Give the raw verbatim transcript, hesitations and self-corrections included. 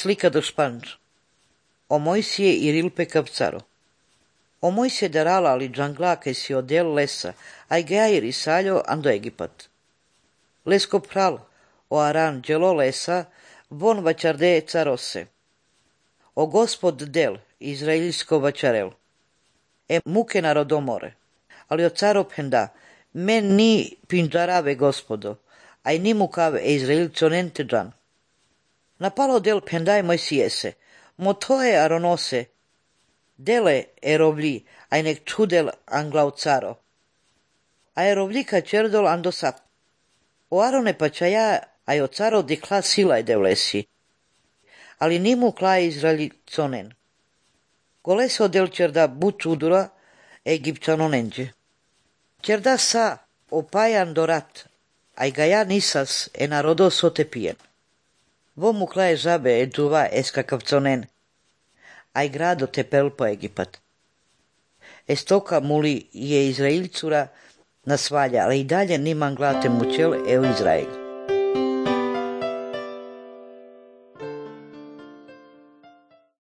Slika do Španč. O Mojsije i rilpe kapcaro. O Mojsije darala ali džangla que si odel lesa, ai geai risalho ando Egipat. Lesko pral, o aran gelo lesa, von vačarde carose. O gospod del, izraelsko vačarel. E muke narodomore. Ali o caro penda, men ni pinđarave gospodo, ai ni mukave e izraelconente džan. Napalo del pendai Mojsijese, motoe aronose, dele erovli, ai nek čudel anglau caro. A erovlika čerdol ando sap. O arone pačaja, ai o caro dikla silaj devlesi. Ali nimu kla izraeliconen. Goleso del čerda buč udura, egipćanonenđe. Čerda sa opajan dorat, ai gaja nisas e narodo sotepijen. Vo mu klaje žabe e džuva eskakavconen, ai grado te pelpo Egipat. Estoka muli je Izraelcura nasvalja, ali i dalje niman glate mučel e u Izrael.